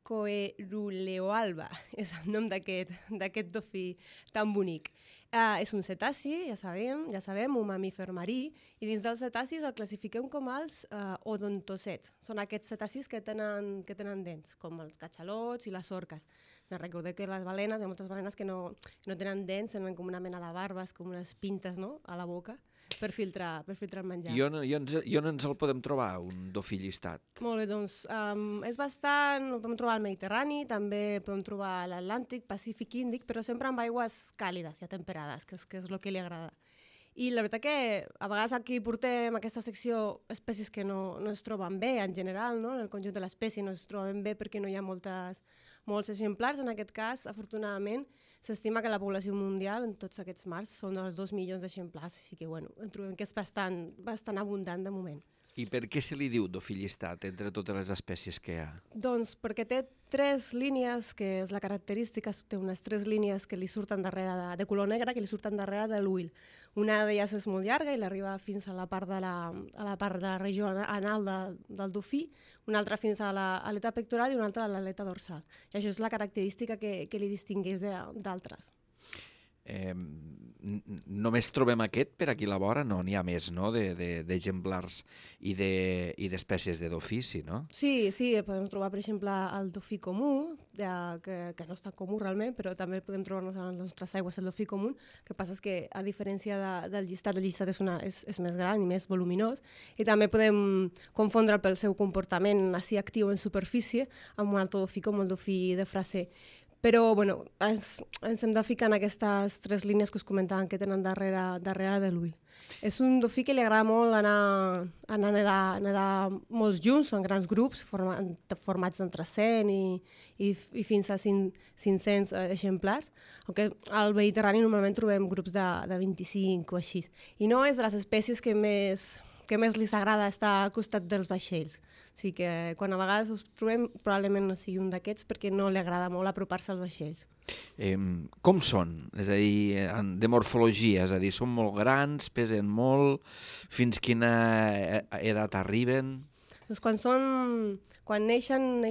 coeruleoalba és el nom d'aquest dofí tan bonic. És un cetaci, ja sabem, un mamífer marí, i dins dels cetacis el classifiquem com els odontocets. Són aquests cetacis que tenen dents, com els catxalots i les orques. Recordeu que les balenes, hi ha moltes balenes que no tenen dents, tenen com una mena de barbes, com unes pintes, no?, a la boca, per filtrar el menjar. I on ens el podem trobar, un dofí llistat? Molt bé, doncs és bastant... Ho podem trobar al Mediterrani, també podem trobar a l'Atlàntic, Pacífic, Índic, però sempre amb aigües càlides i temperades, que és el que li agrada. I la veritat que a vegades aquí portem aquesta secció espècies que no es troben bé en general, no? En el conjunt de l'espècie no es troben bé perquè no hi ha molts exemplars. En aquest cas, afortunadament, s'estima que la població mundial en tots aquests mars són dels 2 milions d'exemplars, així que en trobem que és bastant abundant de moment. I per què se li diu dofí llistat entre totes les espècies que hi ha? Doncs perquè té 3 línies, que és la característica, té unes 3 línies que li surten darrere de color negre, que li surten darrere de l'ull. Una d'elles és molt llarga i l'arriba fins a la part de la regió anal del dofí, una altra fins a l'aleta pectoral i una altra a l'aleta dorsal. I això és la característica que li distingueix d'altres. Només trobem aquest per aquí a la vora? No, n'hi ha més, no?, d'exemplars i d'espècies de dofí, sí, no? Sí, podem trobar, per exemple, el dofí comú, que no és tan comú realment, però també podem trobar-nos a les nostres aigües el dofí comú. El que passa és que, a diferència del llistat, el llistat és més gran i més voluminós, i també podem confondre'l pel seu comportament així actiu en superfície amb un altre dofí com el dofí de Fraser. Però ens hem de ficar en aquestes 3 línies que us comentaven que tenen darrere de l'ull. És un dofí que li agrada molt anar a nedar molts junts, en grans grups, formats d'entre 100 i fins a 500 exemplars, aunque al Mediterrani normalment trobem grups de 25 o així. I no és de les espècies que més li agrada estar al costat dels vaixells. O sigui que quan a vegades us trobem probablement no sigui un d'aquests perquè no li agrada molt apropar-se als vaixells. Com són? És a dir, de morfologia, és a dir, són molt grans, pesen molt, fins quina edat arriben? Doncs quan neixen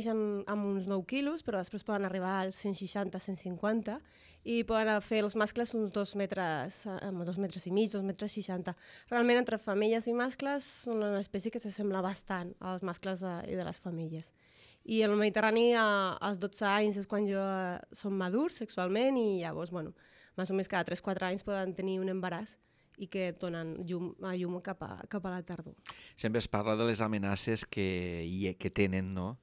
amb uns 9 quilos, però després poden arribar als 160-150 i poden fer els mascles uns 2 metres i mig, 2 metres 60. Realment, entre femelles i mascles, són una espècie que s'assembla bastant als mascles i de les femelles. I en el Mediterrani, als 12 anys és quan són madurs sexualment i llavors, més o menys cada 3-4 anys poden tenir un embaràs i que donen llum cap a la tardor. Sempre es parla de les amenaces que tenen, no?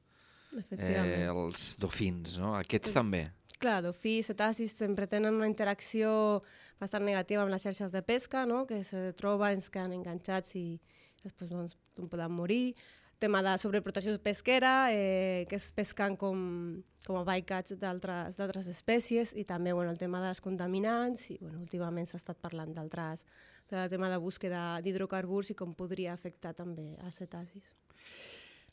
Els dofins, no? Aquests també. Clar, dofís, cetacis sempre tenen una interacció bastant negativa amb les xarxes de pesca, no? Que se troben, es queden enganxats i després poden morir. Tema de sobreprotecció pesquera, que es pesquen com a bycatch d'altres espècies i també el tema dels contaminants i últimament s'ha estat parlant del tema de búsqueda d'hidrocarburs i com podria afectar també a cetacis.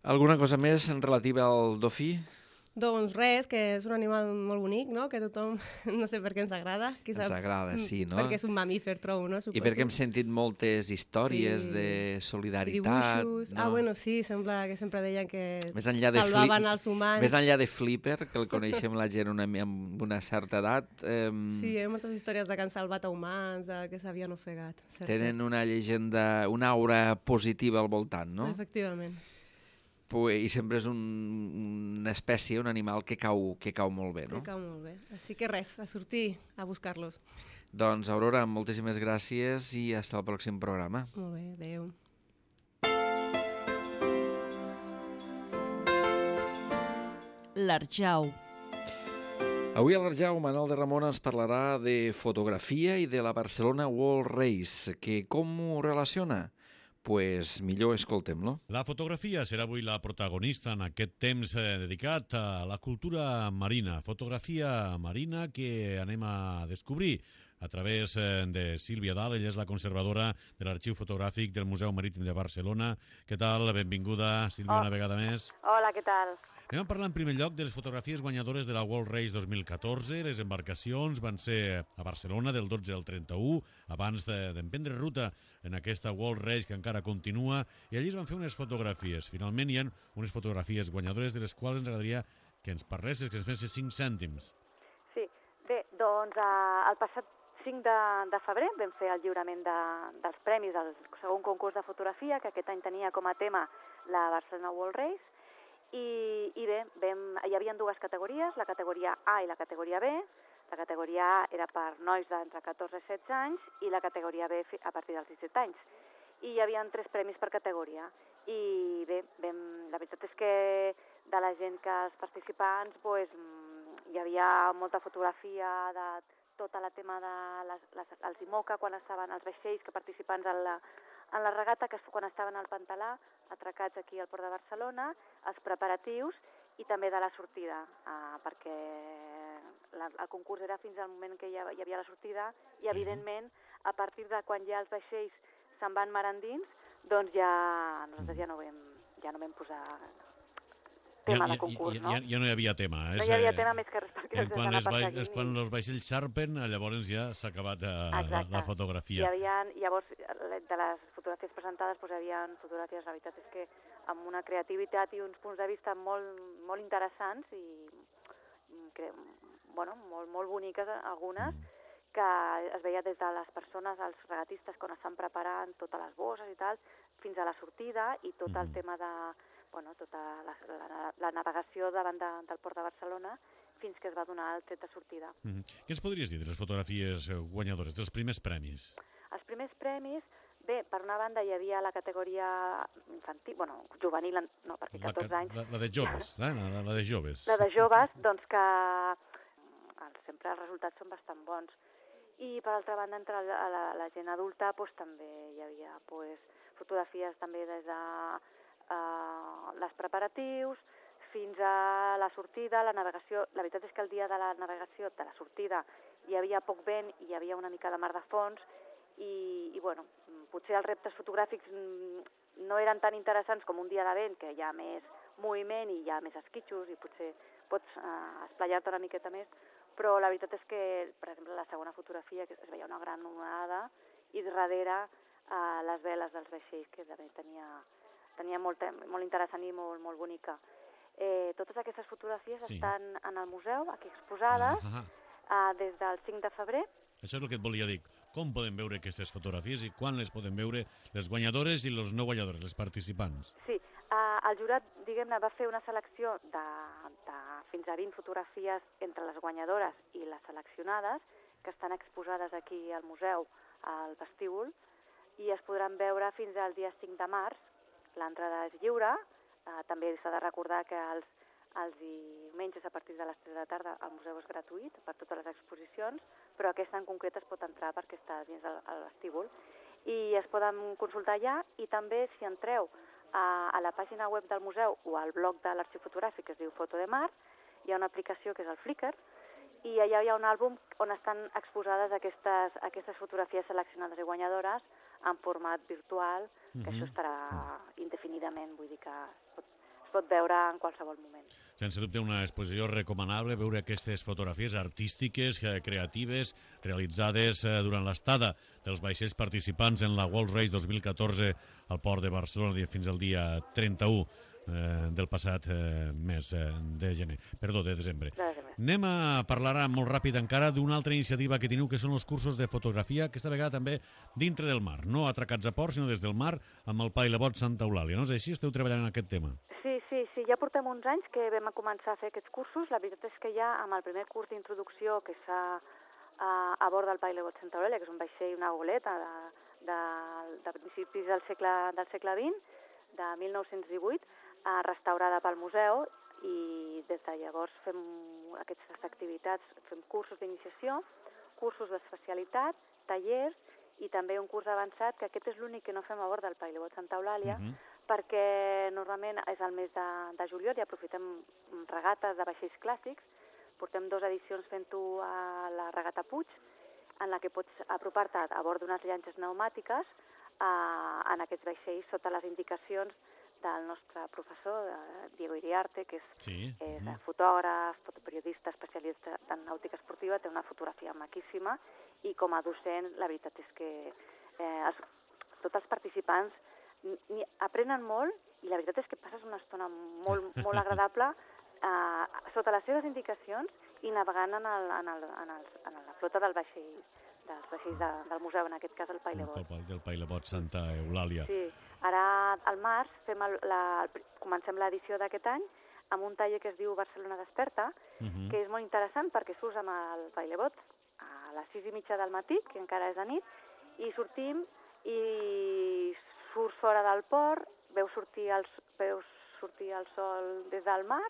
Alguna cosa més en relativa al dofí? Doncs res, que és un animal molt bonic, no? Que tothom, no sé per què ens agrada. Ens agrada, sí, no? Perquè és un mamífer, trobo, no? I perquè hem sentit moltes històries de solidaritat. Dibuixos. No? Bueno, sí, sembla que sempre deien que salvaven els humans. Més enllà de Flipper, que el coneixem la gent amb una certa edat. Sí, hi ha moltes històries de que han salvat a humans, que s'havien ofegat. Tenen una llegenda, una aura positiva al voltant, no? Efectivament. I sempre és una espècie, un animal que cau molt bé, no? Que cau molt bé. Així que res, a sortir a buscar-los. Doncs, Aurora, moltíssimes gràcies i fins al pròxim programa. Molt bé, adeu. L'Arjau. Avui a l'Arjau, Manol de Ramon ens parlarà de fotografia i de la Barcelona World Race, que com ho relaciona? Pues millor escoltem-lo. La fotografia serà avui la protagonista en aquest temps dedicat a la cultura marina. Fotografia marina que anem a descobrir a través de Sílvia Dalt. Ella és la conservadora de l'Arxiu Fotogràfic del Museu Marítim de Barcelona. Què tal? Benvinguda, Sílvia, una vegada més. Hola, què tal? Anem a parlar en primer lloc de les fotografies guanyadores de la World Race 2014. Les embarcacions van ser a Barcelona del 12 al 31, abans d'emprendre ruta en aquesta World Race que encara continua, i allí es van fer unes fotografies. Finalment hi ha unes fotografies guanyadores de les quals ens agradaria que ens parlessis, que ens fessis 5 cèntims. Sí, bé, doncs el passat 5 de febrer vam fer el lliurament dels premis del segon concurs de fotografia, que aquest any tenia com a tema la Barcelona World Race, i bé, hi havia dues categories, la categoria A i la categoria B. La categoria A era per nois d'entre 14 i 16 anys i la categoria B a partir dels 17 anys. I hi havia 3 premis per categoria. I bé, la veritat és que de la gent que els participants hi havia molta fotografia de tota la tema dels IMOCA, quan estaven els vaixells que participants en la regata, que quan estaven al Pantalà, atracats aquí al Port de Barcelona, els preparatius i també de la sortida, perquè el concurs era fins al moment que hi havia la sortida i, evidentment, a partir de quan ja els vaixells se'n van mar endins, doncs nosaltres ja no vam posar tema de concurs, no? Ja no hi havia tema. No hi havia tema més que res perquè els quan van perseguint. És quan els vaixells xarpen, llavors ja s'ha acabat la fotografia. Llavors, de les fotografies presentades, hi havia fotografies, la veritat és que amb una creativitat i uns punts de vista molt interessants i molt boniques algunes, que es veia des de les persones, els regatistes, quan estan preparant totes les bosses i tal, fins a la sortida i tot el tema de tota la navegació davant del Port de Barcelona fins que es va donar el tret de sortida. Què ens podries dir de les fotografies guanyadores, dels primers premis? Els primers premis, bé, per una banda hi havia la categoria infantil, juvenil, no, perquè 14 anys. La de joves, la de joves. La de joves, doncs que sempre els resultats són bastant bons. I per altra banda, entre la gent adulta, també hi havia fotografies també des de les preparatius fins a la sortida, la navegació. La veritat és que el dia de la navegació, de la sortida, hi havia poc vent i hi havia una mica de mar de fons i potser els reptes fotogràfics no eren tan interessants com un dia de vent, que hi ha més moviment i hi ha més esquitxos i potser pots esplaiar-te una miqueta més, però la veritat és que, per exemple, la segona fotografia, que es veia una gran onada i darrere les veles dels vaixells, que també tenia molt interessant i molt bonica. Totes aquestes fotografies estan en el museu, aquí exposades, des del 5 de febrer. Això és el que et volia dir. Com podem veure aquestes fotografies i quan les podem veure les guanyadores i els no guanyadores, les participants? Sí, el jurat, diguem-ne, va fer una selecció de fins a 20 fotografies entre les guanyadores i les seleccionades, que estan exposades aquí al museu, al vestíbul, i es podran veure fins al dia 5 de març. L'entrada és lliure, també s'ha de recordar que els diumenges a partir de les 3 de la tarda el museu és gratuït per totes les exposicions, però aquesta en concret es pot entrar perquè està dins el vestíbul i es poden consultar allà, i també si entreu a la pàgina web del museu o al blog de l'Arxiu Fotogràfic, que es diu Foto de Mar, hi ha una aplicació que és el Flickr, i allà hi ha un àlbum on estan exposades aquestes fotografies seleccionades i guanyadores en format virtual, que això estarà indefinidament, vull dir que es pot veure en qualsevol moment. Sense dubte una exposició recomanable, veure aquestes fotografies artístiques, creatives, realitzades durant l'estada dels vaixells participants en la World Race 2014 al port de Barcelona fins al dia 31 del passat mes de desembre. Anem a parlar molt ràpid encara d'una altra iniciativa que teniu, que són els cursos de fotografia, aquesta vegada també dintre del mar, no atracats a port, sinó des del mar, amb el Pailebot Santa Eulàlia. No és així? Esteu treballant en aquest tema? Sí, ja portem uns anys que vam començar a fer aquests cursos. La veritat és que ja amb el primer curs d'introducció que es fa a bord del Pailebot Santa Eulàlia, que és un vaixell, una goleta de principis del segle XX, de 1918, restaurada pel museu, i des de llavors fem aquestes activitats, fem cursos d'iniciació, cursos d'especialitat, tallers i també un curs avançat, que aquest és l'únic que no fem a bord del Pailebot Santa Eulàlia, perquè normalment és el mes de juliol i aprofitem regates de vaixells clàssics. Portem 2 edicions fent-ho a la regata Puig, en la que pots apropar-te a bord d'unes llanxes pneumàtiques en aquests vaixells sota les indicacions del nostre professor, Diego Iriarte, que és fotògraf, periodista, especialista en nàutica esportiva, té una fotografia maquíssima, i com a docent la veritat és que tots els participants aprenen molt, i la veritat és que passes una estona molt agradable sota les seves indicacions i navegant en la flota dels vaixells del museu, en aquest cas el Pailebot. Del Pailebot Santa Eulàlia. Sí, ara al març comencem l'edició d'aquest any amb un taller que es diu Barcelona Desperta, que és molt interessant perquè surts amb el Pailebot a les 6:30 del matí, que encara és de nit, i sortim i surts fora del port, veus sortir el sol des del mar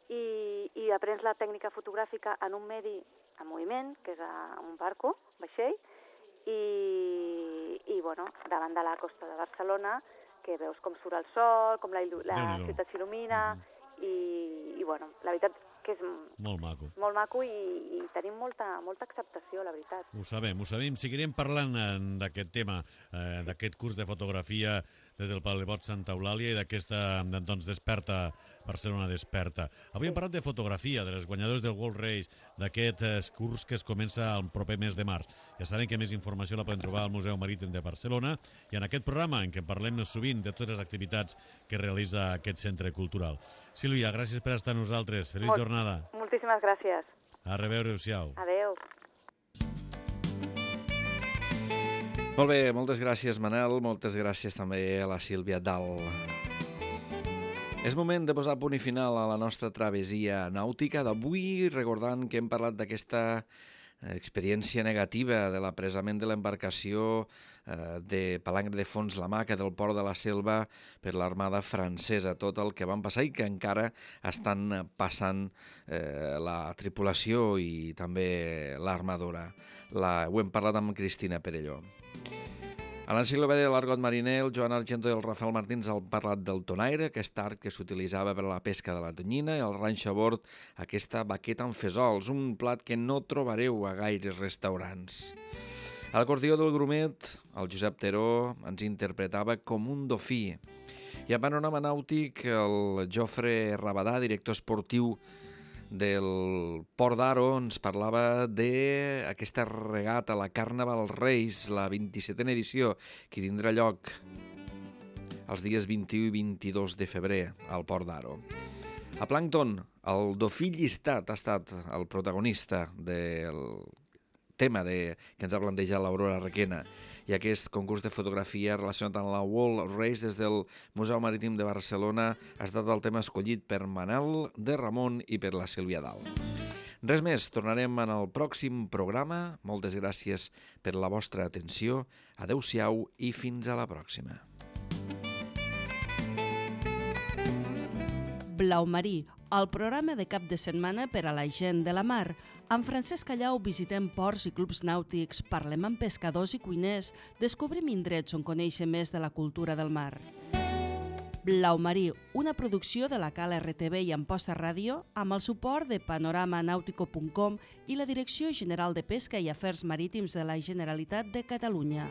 i aprens la tècnica fotogràfica en un medi en moviment, que és un barco, vaixell, i davant de la costa de Barcelona, que veus com surt el sol, com la ciutat s'il·lumina, i la veritat que és molt maco i tenim molta acceptació, la veritat. Ho sabem. Seguirem parlant d'aquest tema, d'aquest curs de fotografia des del Pailebot Santa Eulàlia i d'aquesta, doncs, Barcelona Desperta. Avui hem parlat de fotografia, de les guanyadores del World Race, d'aquest curs que es comença el proper mes de març. Ja saben que més informació la poden trobar al Museu Marítim de Barcelona i en aquest programa en què parlem sovint de totes les activitats que realitza aquest centre cultural. Sílvia, gràcies per estar amb nosaltres. Feliç jornada. Moltíssimes gràcies. A reveure-us-siau. Adéu. Molt bé, moltes gràcies, Manel. Moltes gràcies també a la Sílvia Dal. És moment de posar punt i final a la nostra travessia nàutica d'avui, recordant que hem parlat d'aquesta experiència negativa de l'apresament de l'embarcació de Palangre de Fons la Maca del port de la Selva per l'armada francesa, tot el que van passar i que encara estan passant la tripulació i també l'armadora. Ho hem parlat amb Cristina Perelló. A l'enciclopèdia de l'Argot Mariner, el Joan Argento i el Rafael Martins han parlat del tonaire, aquest art que s'utilitzava per a la pesca de la tonyina, i el ranxo a bord, aquesta baqueta amb fesols, un plat que no trobareu a gaires restaurants. A l'acordió del Grumet, el Josep Teró ens interpretava com un dofí. I a Panorama Nàutic, el Jofre Rabadà, director esportiu del Port d'Aro, ens parlava d'aquesta regata, la Carnaval Reis, la 27a edició, que tindrà lloc els dies 21 i 22 de febrer al Port d'Aro. A Plàncton, el dofí llistat ha estat el protagonista del tema que ens ha plantejat l'Aurora Requena, i aquest concurs de fotografia relacionat amb la World Race des del Museu Marítim de Barcelona ha estat el tema escollit per Manel de Ramon i per la Sílvia Dal. Res més, tornarem en el pròxim programa. Moltes gràcies per la vostra atenció. Adéu-siau i fins a la pròxima. Blau Marí, el programa de cap de setmana per a la gent de la mar. Amb Francesc Callau visitem ports i clubs nàutics, parlem amb pescadors i cuiners, descobrim indrets on conèixer més de la cultura del mar. Blau Marí, una producció de la Cal RTV i Amposta Ràdio, amb el suport de panoramanautico.com i la Direcció General de Pesca i Afers Marítims de la Generalitat de Catalunya.